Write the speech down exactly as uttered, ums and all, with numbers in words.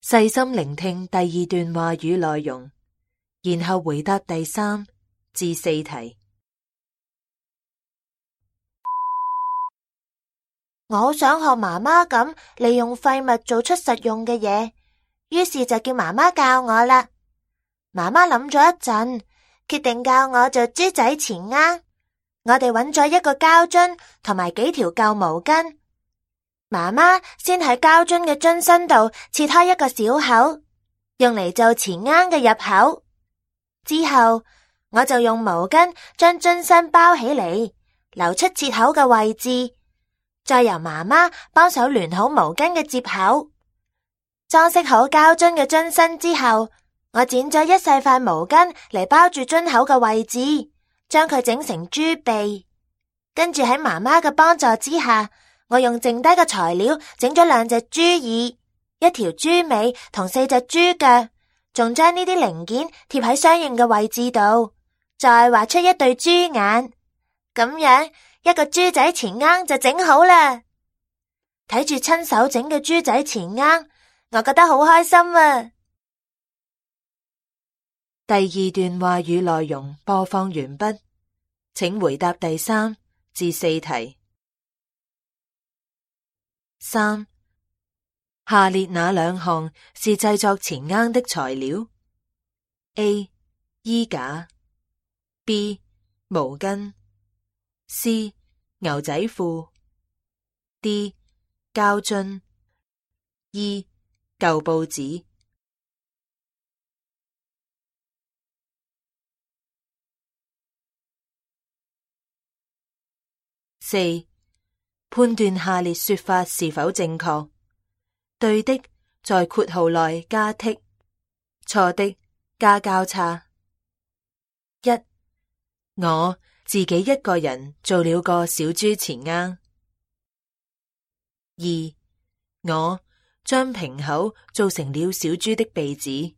細心聆聽第二段話語內容，然後回答第三至四題。我好想學媽媽咁利用廢物做出實用嘅嘢，於是就叫媽媽教我啦。媽媽諗咗一陣，決定教我做豬仔錢罌。我哋揾咗一個膠樽同埋幾條舊毛巾。媽媽先喺膠樽嘅樽身度切開一個小口，用嚟做錢罌嘅入口。之後我就用毛巾將樽身包起嚟，留出切口嘅位置，再由媽媽幫手聯好毛巾嘅接口。裝飾好膠樽嘅樽身之後，我剪咗一細塊毛巾嚟包住樽口嘅位置，將佢整成豬鼻。跟住喺媽媽嘅幫助之下，我用剩低嘅材料整咗兩隻豬耳、一條豬尾同四隻豬腳，仲將呢啲零件貼喺相應嘅位置度，再畫出一對豬眼。咁樣一個豬仔錢罌就整好啦。睇住親手整嘅豬仔錢罌，我覺得好開心啊！第二段話語內容播放完畢，請回答第三至四題。三，下列哪兩項是製作錢罌的材料 ？A. 衣架 B. 毛巾 C. 牛仔褲 D. 膠樽 E. 舊報紙。四，判斷下列說法是否正確。對的，在括號內加剔；錯的，加交叉。一，我自己一個人做了個小豬錢罌。二，我將瓶口做成了小豬的鼻子。